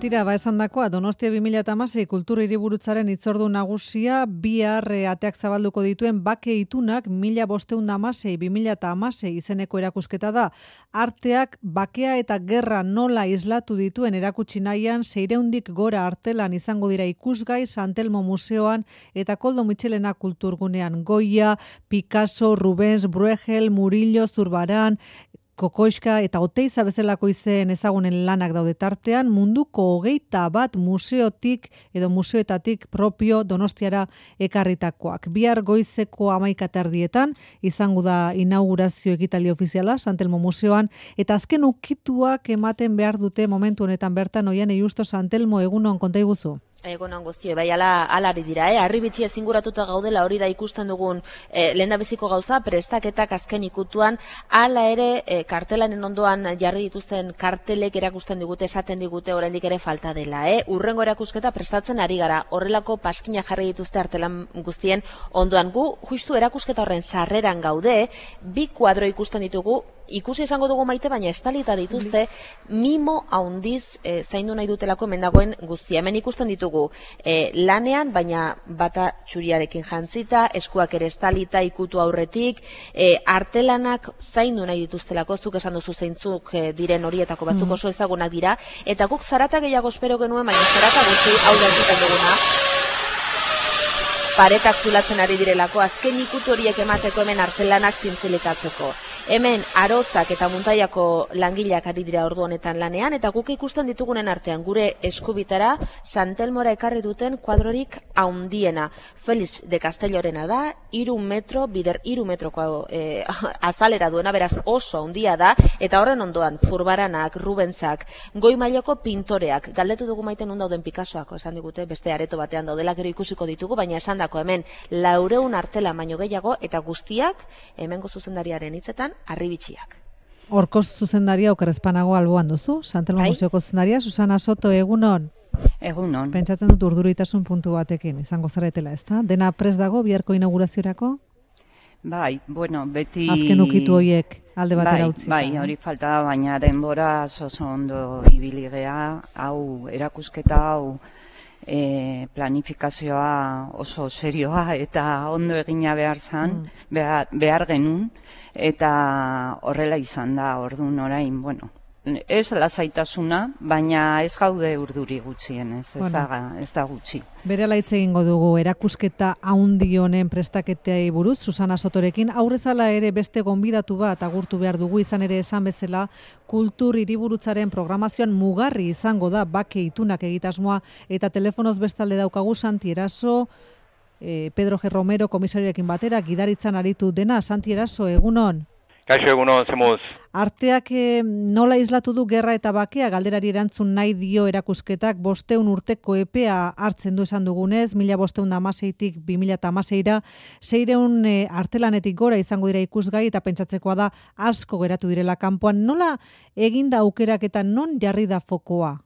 Tira, esandakoa, Donostia 2016 kultura hiriburutzaren hitzordu nagusia bihar ateak zabalduko dituen bake itunak 1516-2016 izeneko erakusketa da. Arteak bakea eta gerra nola islatu dituen erakutsi nahian 600 gora artelan izango dira ikusgai San Telmo Museoan eta Koldo Mitxelena kulturgunean. Goya, Picasso, Rubens, Bruegel, Murillo, Zurbaran, Kokoiska eta Oteiza bezalako izen ezagunen lanak daude tartean, munduko 21 museotik edo museoetatik propio Donostiara ekarritakoak. Bihar goizeko 11:00 izango da inaugurazio ekitaldi ofiziala San Telmo Museoan eta azken ukituak ematen behar dute momentu honetan bertan Oiane Justo San Telmo egunon konta iguzu. Egunon guztie, bai alari dira, harribitxia zinguratuta gaudela hori da ikusten dugun lehendabiziko gauza, prestaketak azken ikutuan, hala ere kartelanen ondoan jarri dituzten kartelek erakusten digute, esaten digute oraindik ere falta dela. Urrengo erakusketa prestatzen ari gara, horrelako paskina jarri dituzte artelan guztien ondoan. Gu, justu erakusketa horren sarreran gaude, bi kuadro ikusten ditugu, ikusi izango dugu Maite, baina estalita dituzte mimo haundiz zaindu nahi dutelako hemen dagoen guztia. Hemen ikusten ditugu lanean, baina bata txuriarekin jantzita, eskuak ere estalita ikutu aurretik, artelanak zaindu nahi dituztelako, zuk esan duzu zeintzuk diren horietako batzuk oso ezagunak dira, eta guk zarata gehiago espero genuen, baina zarata gutxi hau da egiten duguna. Paretak zulatzen ari direlako, azken ikutu horiek emateko hemen artelanak zintzeletatzeko. Hemen arotzak eta muntaiako langileak ari dira ordu honetan lanean, eta guk ikusten ditugunen artean gure eskubitara San Telmora ekarri duten kuadrorik haundiena. Felix de Castellorena da, 3 metroko azalera duena, beraz oso haundia da, eta horren ondoan Zurbaranak, Rubensak, goi mailako pintoreak, galdetu dugu Maite nun dauden Picassoak, esan digute beste areto batean daudela, gero ikusiko ditugu, baina esandako hemen 400 artela baino gehiago, eta guztiak hemengo zuzendariaren hitzetan harribitxiak. Horko zuzendaria okerrezpanago alboan duzu, San Telmo Museoko zuzendaria, Susana Soto, egunon. Egunon. Pentsatzen dut urduritasun puntu batekin, izango zaretela, ezta? Dena prest dago biharko inauguraziorako? Bai, bueno, beti... Azken ukitu horiek alde batera utzita. Bai, hori falta da, baina denbora oso ondo ibili gea, hau erakusketa, hau planifikazioa oso serioa eta ondo egina behar genuen, eta horrela izan da, orduan orain, bueno, ez lasaitasuna, baina ez gaude urduri gutxienez, ez da gutxi. Berela hitz egingo dugu erakusketa haundi honen prestaketeai buruz, Susana Sotorekin, aurrezala ere beste gonbidatu bat agurtu behar dugu, izan ere esan bezala, kultur hiriburutzaren programazioan mugarri izango da bake itunak egitasmoa, eta telefonoz bestalde daukagu Santi Eraso, Pedro G. Romero komisarioekin batera, gidaritzan aritu dena. Santi Eraso, egunon. Kaixo egunon, zemuz. Arteak nola islatu du gerra eta bakea, galderari erantzun nahi dio erakusketak, 500 urteko epea hartzen du esan dugunez, 1516-tik 2016-ra, 600 artelanetik gora izango dira ikusgai eta pentsatzekoa da asko geratu direla kanpoan. Nola eginda aukeraketa, non jarri da fokoa?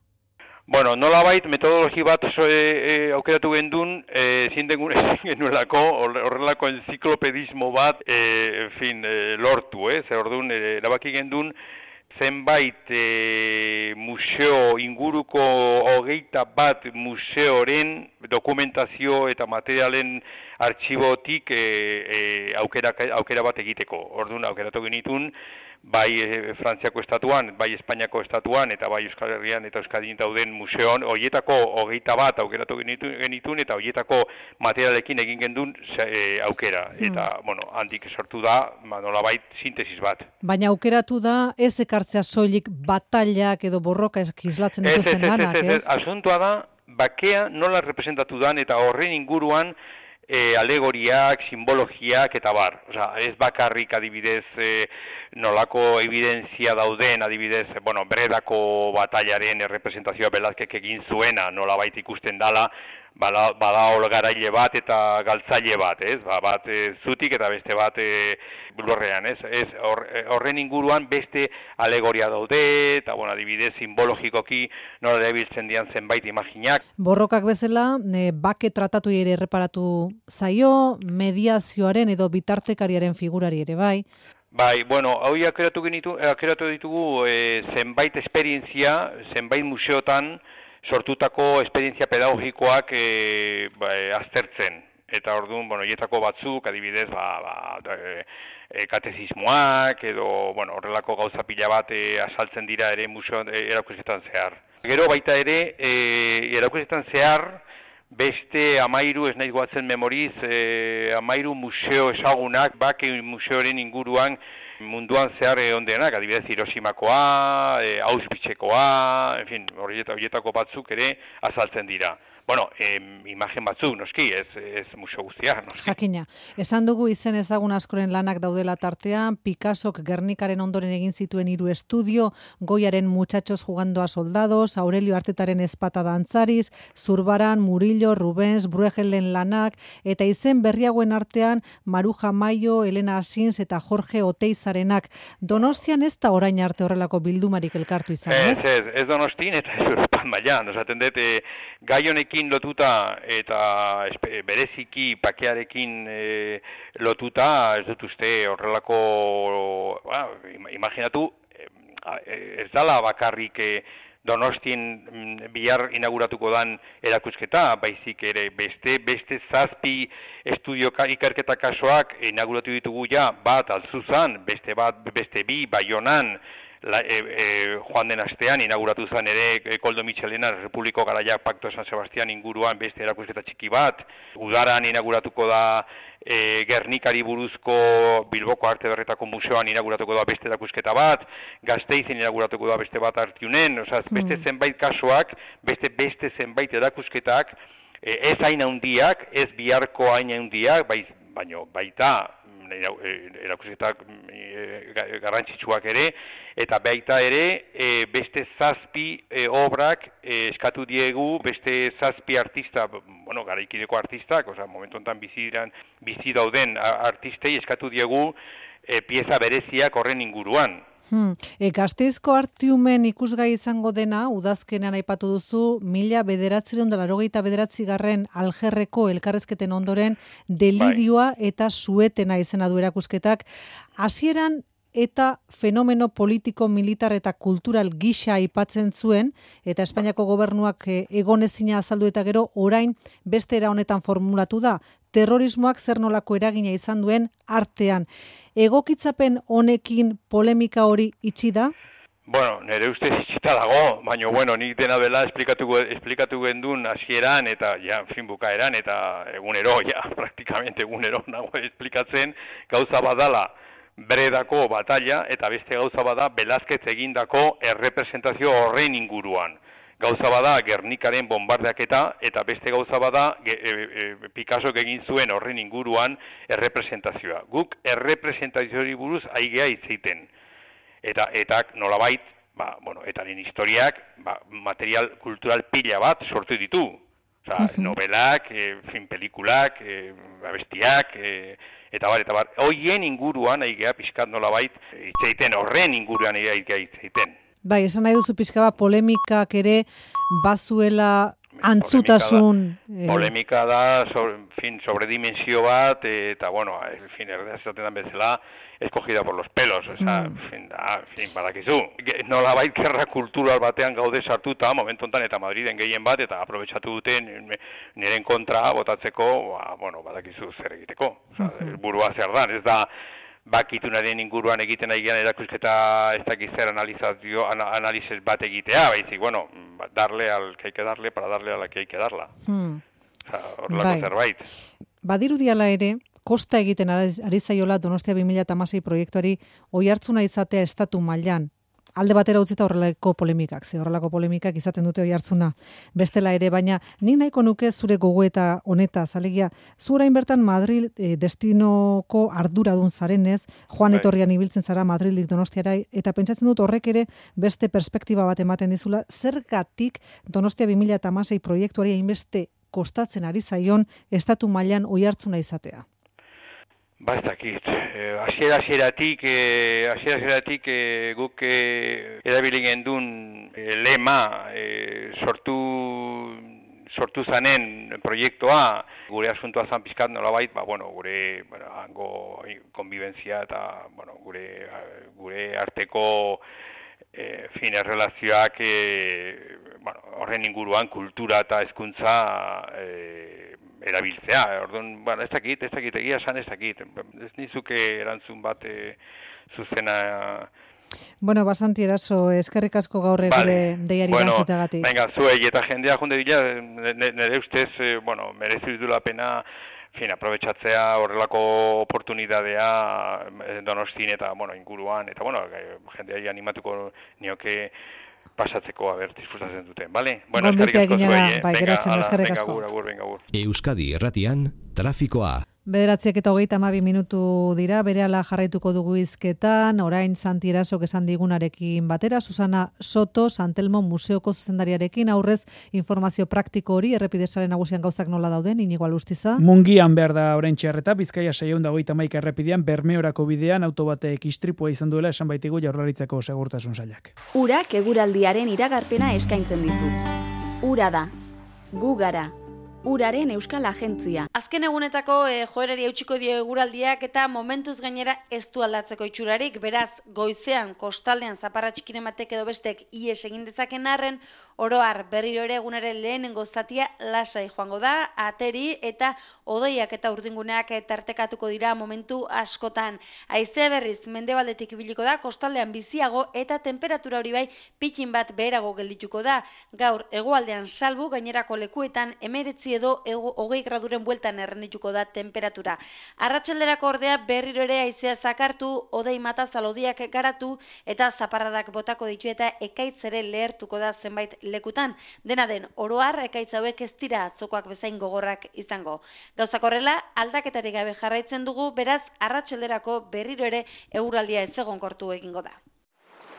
Bueno, nolabait metodologi bat aukeratu gendun, genuelako horrelako enziklopedismo bat, lortu, zer orduan, erabaki gendun, zenbait museo inguruko 21 museoren dokumentazio eta materialen artxibotik aukera bat egiteko. Orduan, aukeratu genitun, bai Frantziako estatuan, bai Espainiako estatuan, eta bai Euskal Herrian eta Euskadin dauden museoan, horietako 21 aukeratu genitun, eta horietako materialekin egin gendun aukera. Eta, bueno, handik sortu da, nolabait sintesis bat. Baina aukeratu da, ez ekartzea soilik batailak edo borroka islatzen dituzten lanak, ez? Asuntoa da, bakea nola representatu dan, eta horren inguruan, alegoriak, simbologiak eta bar. Osea, ez bakarrik adibidez nolako evidentzia dauden, adibidez, Bredako batailaren representazioa Velázquezek egin zuena, nolabait ikusten dala, bada olgaraile bat eta galtzaile bat, ez? Bat zutik eta beste bat lurrean, ez? Horren inguruan beste alegoria daude, eta, adibidez, simbologikoki nola erabiltzen dian zenbait imaginak. Borrokak bezala, bake tratatu ere erreparatu zaio, mediazioaren edo bitartekariaren figurari ere bai. Bai, hau akeratu ditugu zenbait esperientzia, zenbait museotan, sortutako esperientzia pedagogikoak aztertzen. Eta orduan, hietako batzuk, adibidez, katezismoak edo, horrelako gauza pila bat azaltzen dira ere museo erakusketan zehar. Gero baita ere, erakusketan zehar, beste 13, ez nahi goatzen memoriz, 13 museo ezagunak, bake museoren inguruan munduan zehar ondenak, adibidez Hiroshimakoa, Auschwitzekoa, en fin, horietako batzuk ere azaltzen dira. Imagen batzuk, noski, ez museo guztia, noski. Jakina, esan dugu izen ezagun askoren lanak daudela tartean, Picassok Gernikaren ondoren egin zituen 3 estudio, Goyaren Muchachos jugando a soldados, Aurelio Artetaren Ezpata dantzariz, Zurbaran, Murillo, Rubens, Bruegelen lanak, eta izen berriagoen artean Maruja Maio, Elena Asins eta Jorge Oteizarenak. Donostian ez da orain arte horrelako bildumarik elkartu izan, ez? Ez Donostin eta ez Europan mailan, esaten dut, gai honekin lotuta eta bereziki pakearekin lotuta, ez dut uste horrelako, imaginatu, ez dala bakarrik Donostien bihar inauguratuko dan erakusketa, baizik ere beste 7 estudio ikerketa kasoak inauguratu ditugu ja, bat Altzuzan, beste 2 Baionan, joan den astean inauguratu zen ere Koldo Mitxelena Republiko Garaiak Pakto San Sebastian inguruan beste erakusketa txiki bat, udaran inauguratuko da Gernikari buruzko Bilboko Arte Berretako Museoan inauguratuko da beste erakusketa bat, Gasteizen inauguratuko da beste bat Artiunen, beste zenbait kasuak, beste zenbait erakusketak, ez hain handiak, ez biharko hain handiak, baina baita erakusketak garrantzitsuak ere, eta baita ere beste 7 obrak eskatu diegu, beste 7 artista, garaikideko artistak, momentu honetan bizi dauden artistei eskatu diegu pieza bereziak horren inguruan. Gasteizko Artiumen ikusgai izango dena, udazkenean aipatu duzu, 1989 Algerreko elkarrezketen ondoren delirioa eta suetena izena du erakusketak. Hasieran eta fenomeno politiko, militar eta kultural gisa aipatzen zuen, eta Espainiako gobernuak egonezina azaldu eta gero orain beste era honetan formulatu da, terrorismoak zer nolako eragina izan duen artean. Egokitzapen honekin polemika hori itxi da? Nire ustez itxita dago, baina nik dena bela esplikatu gendun hasieran eta bukaeran eta egunero, praktikamente egunero nago esplikatzen gauza badala Bredako batalla eta beste gauza bada Velázquez egindako errepresentazio horren inguruan. Gauza bada Gernikaren bombardeaketa eta beste gauza bada Picassok egin zuen horren inguruan errepresentazioa. Guk errepresentazioari buruz aigea hitzeiten. Eta nolabait, etaren historiak material kultural pila bat sortu ditu. Novelak, pelikulak, abestiak, eta bar. Hoien inguruan aigea pixkat nolabait hitzeiten, horren inguruan aigea hitzeiten. Bai, esan nahi duzu pixka bat polemikak ere bazuela antzutasun... Polemika da, sobredimensio bat, eta erdezaten bezala, escogida por los pelos, badakizu. Nolabait gerra kultural batean gaude sartuta, momentu honetan eta Madriden gehien bat, eta aprobetxatu duten niren kontra botatzeko, badakizu zer egiteko. Burua zer da, ez da bakitunaren inguruan egiten aigean erakusketa ez dakiz zer analizes bat egitea, baizik, darle al que hay que darle para darle a la que hay que darla. Horrelako zerbait. Badirudiala ere, kosta egiten ari zaiola Donostia 2016 proiektuari oihartzuna izatea estatu mailan. Alde batera utzita horrelako polemikak izaten dute oihartzuna. Bestela ere, baina nik nahiko nuke zure gogoeta honetaz, alegia, zu orain bertan Madrid destinoko arduradun zarenez, joan etorrian ibiltzen zara Madrildik Donostiara, eta pentsatzen dut horrek ere beste perspektiba bat ematen dizula, zergatik Donostia 2016 proiektuari hainbeste kostatzen ari zaion estatu mailan oihartzuna izatea. Ez dakit, hasieratik guk erabili gendun lema sortu zanen proiektua, gure asuntoa zan pizkat nolabait, gure hango konbibentzia eta gure arteko erlazioak horren inguruan kultura eta hezkuntza erabiltzea. Orduan, ez dakit, egia esan ez dakit. Ez nizuke erantzun bat zuzena. Bueno, Santi Eraso, eskerrik asko gaur gure deiari erantzuteagatik. Venga, zuei eta jendea junde dira, nire ustez, merezi dutela pena, aprobetxatzea horrelako oportunidadea Donostin eta, inguruan, eta, jendeari animatuko nioke pasatzeko disfrutatzen duten, bale? Gonbitea eginera, geratzen, eskerrik asko. Agur. Euskadi Irratian, trafikoa. 9:32 minutu dira, berehala jarraituko dugu hizketan, orain Santi Erasok esan digunarekin batera, Susana Soto, Santelmo Museoko zuzendariarekin, aurrez informazio praktiko hori, errepidesaren nagusian gauzak nola dauden, Inigo Alustiza. Mungian behar da orain txarreta, Bizkaia 621 errepidean, Bermeorako bidean, autobatek istripua izan duela esan baitigu Jaurlaritzako segurtasun sailak. Urak eguraldiaren iragarpena eskaintzen dizu. Ura da, gu gara. Uraren Euskal Agentzia. Azken egunetako joerari eutxiko dio eguraldiak eta momentuz gainera ez du aldatzeko itxurarik, beraz goizean kostaldean zaparra txikiren batek edo bestek ies egin dezaken arren, oroar berriro ere egunaren lehenengo zatia lasai joango da, ateri eta odeiak eta urdinguneak tartekatuko dira momentu askotan. Haizea berriz mendebaldetik ibiliko da, kostaldean biziago eta temperatura hori bai pitxin bat beherago geldituko da. Gaur hegoaldean salbu gainerako lekuetan 19 edo 20 graduren bueltan errendituko da temperatura. Arratsalderako ordea berriro ere haizea zakartu, odei mata zalodiak garatu eta zaparradak botako ditu eta ekaitz ere lehertuko da zenbait lekutan. Dena den, oroar ekaitz hauek ez dira atzokoak bezain gogorrak izango. Gauzak horrela, aldaketarik gabe jarraitzen dugu, beraz arratsalderako berriro ere eguraldia ez egonkortu egingo da.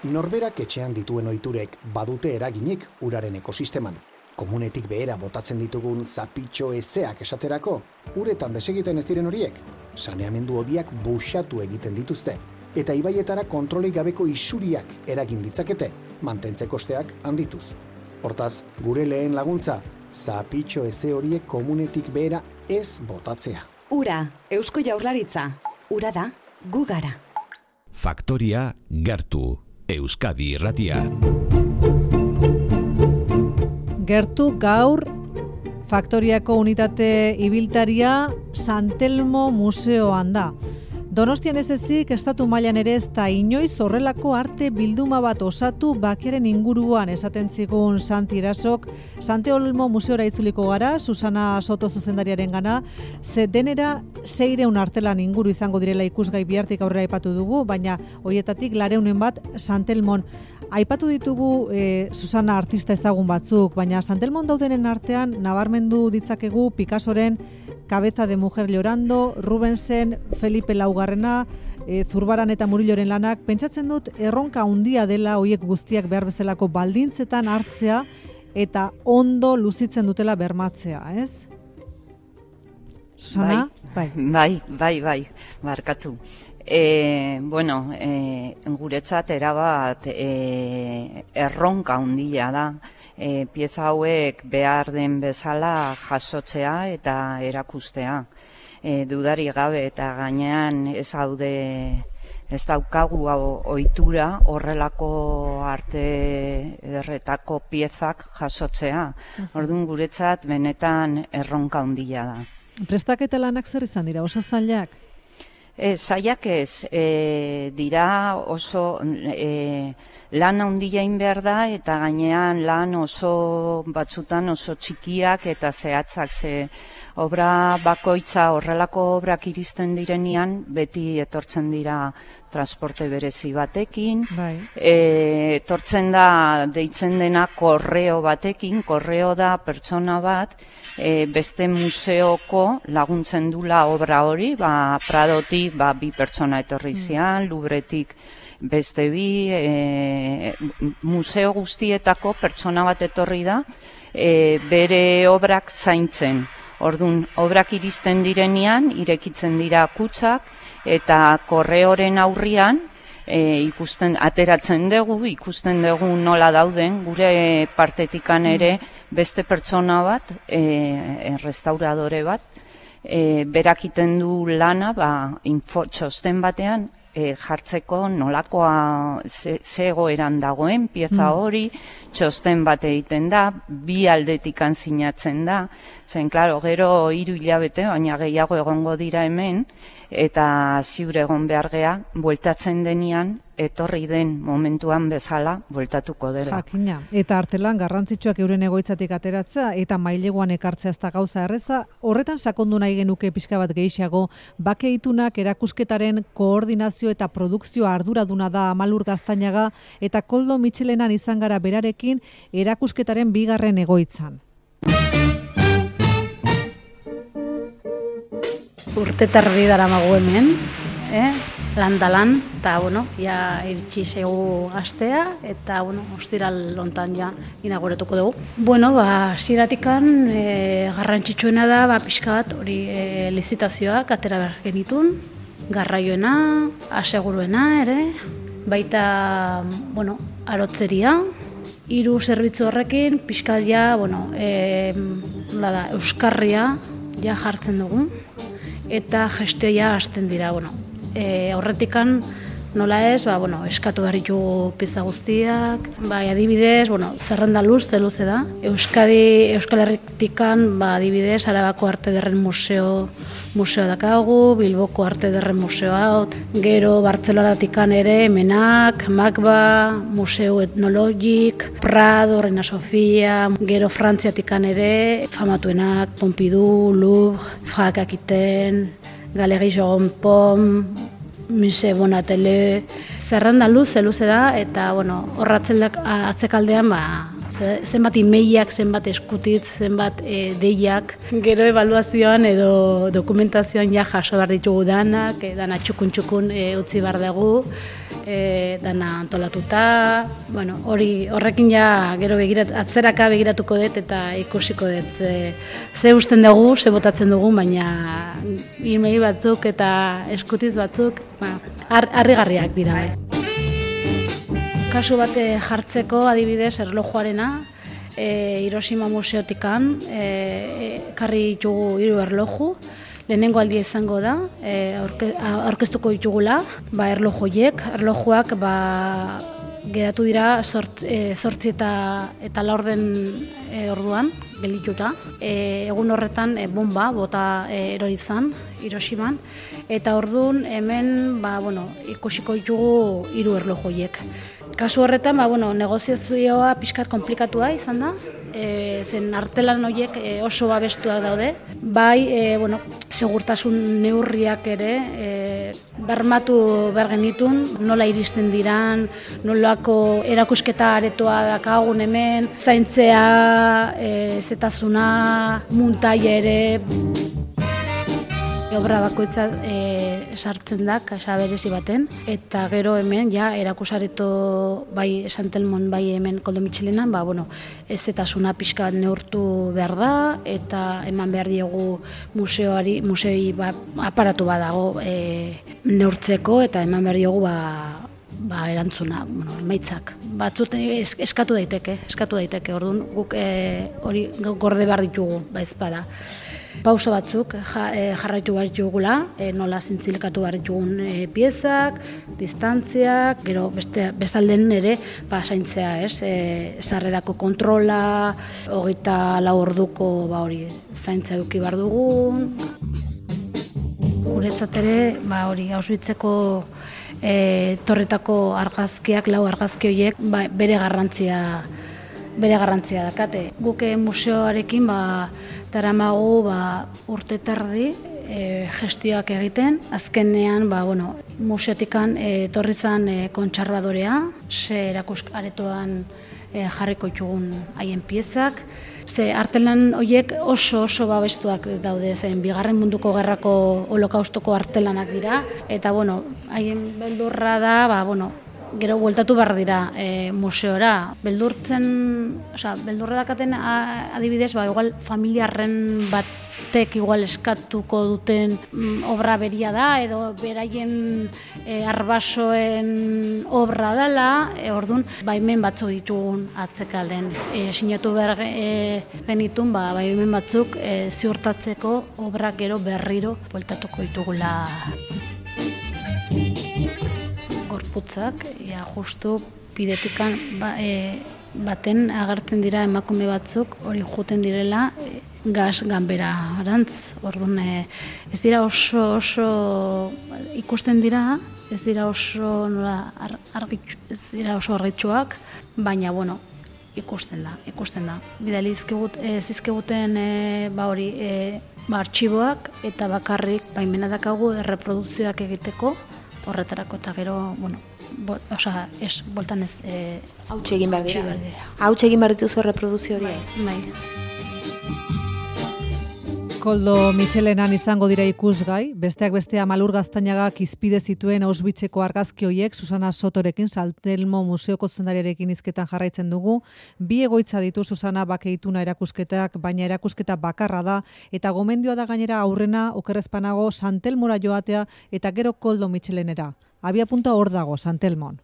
Norberak etxean dituen ohiturek badute eraginik uraren ekosisteman. Komunetik behera botatzen ditugun zapitxo ezeak esaterako, uretan desegiten ez diren horiek, saneamendu hodiak buxatu egiten dituzte, eta ibaietara kontrolik gabeko isuriak eragin ditzakete, mantentze kosteak handituz. Hortaz, gure lehen laguntza, zapitxo eze horiek komunetik behera ez botatzea. Ura, Eusko Jaurlaritza, ura da, gu gara. Faktoria gertu, Euskadi Irratia. Gertu gaur Faktoriako unitate ibiltaria Santelmo Museoan da. Donostian ez ezik, estatu mailan ere ez da inoiz horrelako arte bilduma bat osatu bakearen inguruan esaten zigun Santi Erasok. Santelmo Museora itzuliko gara, Susana Soto zuzendariaren gana, ze denera 600 artelan inguru izango direla ikusgai bihartik aurrera aipatu dugu, baina hoietatik 200 bat Santelmon. Aipatu ditugu Susana artista ezagun batzuk, baina Santelmon daudenen artean nabarmendu ditzakegu Picassoren Cabeza de mujer llorando, Rubensen, Felipe Laugarrena, Zurbaran eta Murilloren lanak. Pentsatzen dut erronka handia dela hoiek guztiak behar bezalako baldintzetan hartzea eta ondo luzitzen dutela bermatzea, ez? Susana? Bai, barkatu. Guretzat erabat erronka handia da. Pieza hauek behar den bezala jasotzea eta erakustea. Dudari gabe eta gainean ez daukagu ohitura horrelako arte ederretako piezak jasotzea. Orduan guretzat benetan erronka handia da. Prestaketa lanak zer izan dira, oso zailak? Zailak ez, dira oso lan handia egin behar da eta gainean lan oso batzutan oso txikiak eta zehatzak, ze obra bakoitza horrelako obrak iristen direnean beti etortzen dira transporte berezi batekin, etortzen da deitzen dena korreo batekin, korreo da pertsona bat, beste museoko laguntzen dula obra hori, Pradotik 2 pertsona etorri zian, Louvretik beste 2, museo guztietako pertsona bat etorri da, bere obrak zaintzen. Orduan, obrak iristen direnean, irekitzen dira kutsak, eta korreoren aurrian ateratzen dugu, ikusten dugu nola dauden, gure partetikan ere beste pertsona bat, restauradore bat, berakiten du lana, txosten batean, jartzeko nolakoa ze egoeran dagoen pieza hori, txosten bat egiten da, bi aldetikan sinatzen da, zen, klaro, gero 3 hilabete, baina gehiago egongo dira hemen, eta ziur egon behar gea, bueltatzen denean, etorri den momentuan bezala, bueltatuko dela. Jakina, eta artelan garrantzitsuak euren egoitzatik ateratzea, eta maileguan ekartzea ez da gauza erreza, horretan sakondu nahi genuke pixka bat gehiago, bake itunak erakusketaren koordinazio eta produkzio arduraduna da Amalur Gaztainaga, eta Koldo Mitxelenan izan gara berarekin erakusketaren 2. egoitzan. Urte terdi daramagu hemen, lan, eta, ja iritsi zaigu astea, eta, ostiral lontan ja inauguretuko dugu. Ziratikan garrantzitsuena da, pixka bat, hori lizitazioak atera behar genitun, garraioena, aseguruena ere, baita, arotzeria, 3 zerbitzu horrekin, pixka ja, euskarria ja jartzen dugu, eta gestioa hasten dira, horretikan nola ez, eskatu behar ditugu pieza guztiak, adibidez, zerrenda luze da. Euskal Herritikan, adibidez, Arabako Arte Ederren museoa dakagu, Bilboko Arte Ederren museoa, gero Bartzelonatikan ere, Menak, Magba, Museo Etnologik, Prado, Reina Sofia, gero Frantziatikan ere, famatuenak, Pompidou, Louvre, Franck Aquitaine, Galerie Jogon Pom, Musée Bonatele, zerrenda luze da, eta horratzelak atzekaldean zenbat imeiak, zenbat eskutitz, zenbat deiak, gero ebaluazioan edo dokumentazioan ja jaso behar ditugu danak, dana txukun utzi behar dugu, dana antolatuta, horrekin ja gero atzeraka begiratuko dut eta ikusiko dut ze usten dugu, ze botatzen dugu, baina imei batzuk eta eskutiz batzuk harrigarriak dira. Kasu bat jartzeko adibidez erlojuarena, Hiroshima museotikan karri ditugu 3 erloju, lehenengo aldia izango da, aurkeztuko ditugula, erlojuak geratu dira 8 eta 4 orduan, gelituta. Egun horretan bomba bota erori izan, Hiroshiman, eta orduan hemen ikusiko ditugu 3 erlojuak. Kasu horretan, negoziazioa pixkat komplikatua izan da, zen artelan horiek oso babestuak daude, segurtasun neurriak ere bermatu behar genitun, nola iristen diran, nolako erakusketa aretoa dakagun hemen, zaintzea, zetazuna, muntaia ere, obra bakoitza sartzen da, kasa berezi baten, eta gero hemen, erakusareto bai Santelmon, bai hemen Koldo Mitxelenan, ezetasuna pixka bat neurtu behar da, eta eman behar diegu museoi aparatu badago neurtzeko, eta eman behar diegu erantzuna, emaitzak. Batzut eskatu daiteke, orduan guk hori gorde behar ditugu, ezpada. Pauso batzuk jarraitu behar ditugula, nola zintzilkatu behar ditugun piezak, distantziak, gero bestalden ere zaintzea, sarrerako kontrola, 24 orduko zaintza eduki behar dugun. Guretzat ere, Auschwitzeko torretako argazkiak, 4 argazki horiek, bere garrantzia dakate. Guk museoarekin daramagu urte terdi gestioak egiten. Azkenean, museotikan etorri zen kontserbadorea, ze erakusaretoan jarriko ditugun haien piezak. Ze artelan horiek oso babestuak daude, zen 2. Munduko Gerrako holokaustoko artelanak dira, eta haien beldurra da, gero bueltatu behar dira museora. Beldurra dakaten adibidez, igual familiarren batek igual eskatuko duten obra beria da, edo beraien arbasoen obra dela, orduan, baimen batzuk ditugun atzekalden. Sinatu behar genitun, baimen batzuk ziurtatzeko obrak gero berriro bueltatuko ditugula. gorputzak, justu bidetikan baten agertzen dira emakume batzuk hori juten direla gas ganbera arantz. Orduan ez dira oso ikusten dira, ez dira oso ez dira oso argitsuak, baina bueno, ikusten da. Bidali zizkiguten artxiboak eta bakarrik baimena dakagu erreprodukzioak egiteko horretarako eta gero, bueno, bueltan ez... Hautxe egin behar dira. Hautxe egin behar dituzu erreproduzio hori. Bai. Koldo Mitxelenan izango dira ikusgai, besteak bestea Malur Gaztainagak izpide zituen Auschwitzeko argazki horiek Susana Sotorekin, Santelmo Museoko zuzendariarekin hizketan jarraitzen dugu. Bi egoitza ditu Susana Bakeituna erakusketak, baina erakusketa bakarra da, eta gomendioa da gainera aurrena okerrezpanago Santelmora joatea eta gero Koldo Mitxelenera. Abia punta hor dago, Santelmon.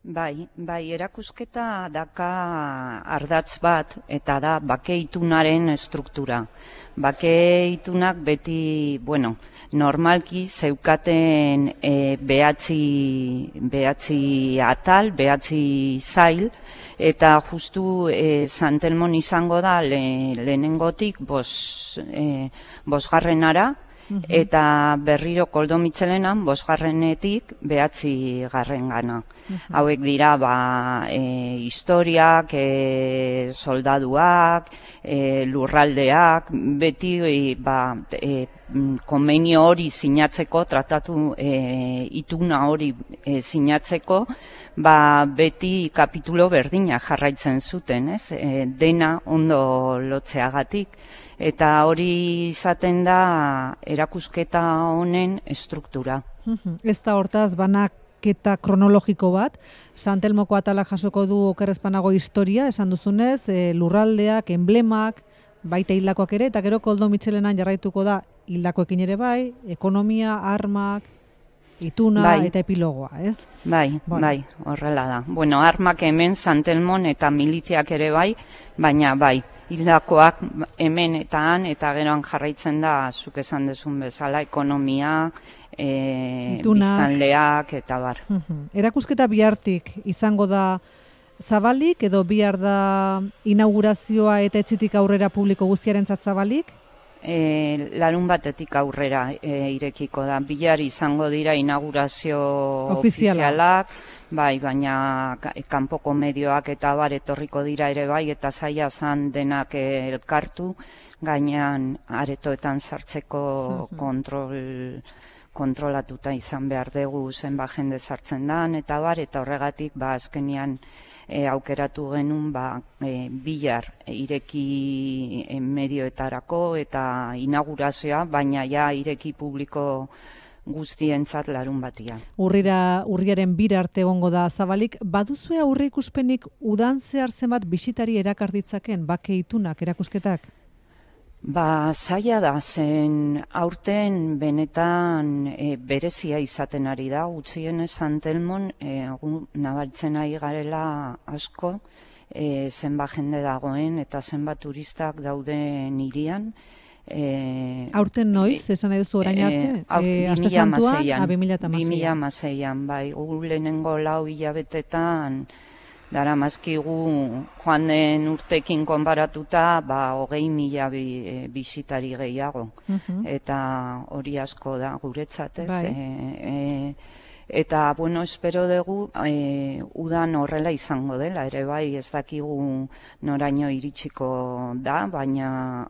Bai, erakusketa daka ardatz bat eta da bakeitunaren estruktura. Bakeitunak beti, normalki zeukaten behatzi atal, behatzi zail, eta justu Santelmon izango da lehenengotik bosgarrenara, eta berriro Koldo Mitxelenan bosgarrenetik 9. Hauek dira historiak, soldaduak, lurraldeak, beti konbenio hori sinatzeko, tratatu ituna hori sinatzeko, beti kapitulo berdina jarraitzen zuten, dena ondo lotzeagatik. Eta hori izaten da erakusketa honen estruktura. Ez da hortaz banaketa kronologiko bat, Santelmoko atalak jasoko du okerrezpanago historia, esan duzunez, lurraldeak, emblemak, baita hildakoak ere, eta gero Koldo Mitxelenan jarraituko da hildakoekin ere bai, ekonomia, armak, ituna eta epilogoa, ez? Bai, horrela da. Armak hemen Santelmon eta miliziak ere bai, baina hildakoak hemen eta han, eta geroan jarraitzen da, zuk esan dezun bezala, ekonomia, biztanleak, eta bar. Erakusketa bihartik izango da zabalik, edo bihar da inaugurazioa eta etzitik aurrera publiko guztiarentzat zabalik? Larun batetik aurrera irekiko da. Bihar izango dira inaugurazio ofizialak, baina kanpoko medioak eta bar etorriko dira ere bai, eta zaila zan denak elkartu, gainean aretoetan sartzeko kontrolatuta izan behar dugu zenba jende sartzen dan, eta bar, eta horregatik azkenian aukeratu genuen bihar ireki medioetarako eta inaugurazioa, baina ireki publiko guztientzat larun batia. Urriaren 2 arte egongo da zabalik, baduzue aurre ikuspenik udan zehar zenbat bisitari erakarditzaken bakeitunak erakusketak? Zaila da, zen aurten benetan berezia izaten ari da, gutxienez Santelmon nabaritzen ari garela asko, zenba jende dagoen eta zenba turistak dauden hirian. Aurten noiz, esan nahi duzu orain arte? 2006an, bai, lehenengo 4 hilabetetan, dara mazkigu joan den urtekin konparatuta 20.000 bisitari gehiago. Eta hori asko da guretzat, ez? Eta, espero dugu udan horrela izango dela, ere bai ez dakigu noraino iritsiko da, baina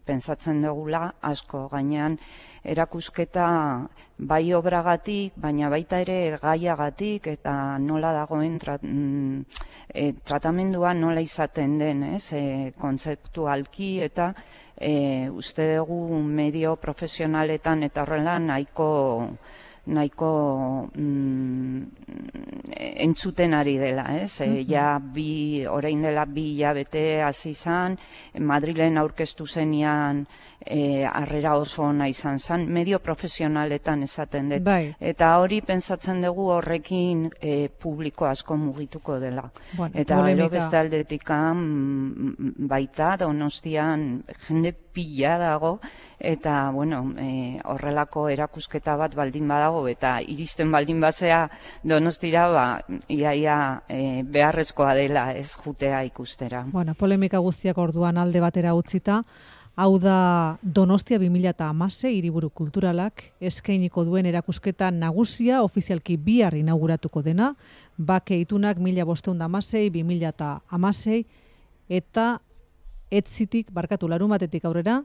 pentsatzen dugula asko gainean erakusketa bai obragatik, baina baita ere gaiagatik, eta nola dagoen tratamendua nola izaten den, kontzeptualki, eta uste dugu medio profesionaletan eta horrela nahiko entzuten ari dela, orain dela 2 hilabete hasi izan, Madrilen aurkeztu zenian harrera oso ona izan zen, medio profesionaletan esaten dut. Eta hori pentsatzen dugu horrekin publiko asko mugituko dela. Eta gero beste aldetikan baita Donostian jende pila dago, eta, bueno, horrelako erakusketa bat baldin badago, eta iristen baldin bazea Donostira, iaia beharrezkoa dela ez jutea ikustera. Bueno, polemika guztiak orduan alde batera utzita, hau da Donostia 2016 hiriburu kulturalak eskainiko duen erakusketa nagusia ofizialki bihar inauguratuko dena, Bake itunak 1516-2016 eta etzitik, larumatetik aurrera,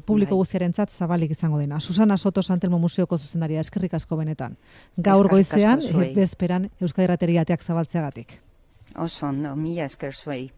publiko guztiarentzat zabalik izango dena. Susana Soto Santelmo Museoko zuzendaria, eskerrik asko benetan. Gaur goizean, bezperan Euskadi Irratiari ateak zabaltzeagatik. Oso ondo, mila esker zuei.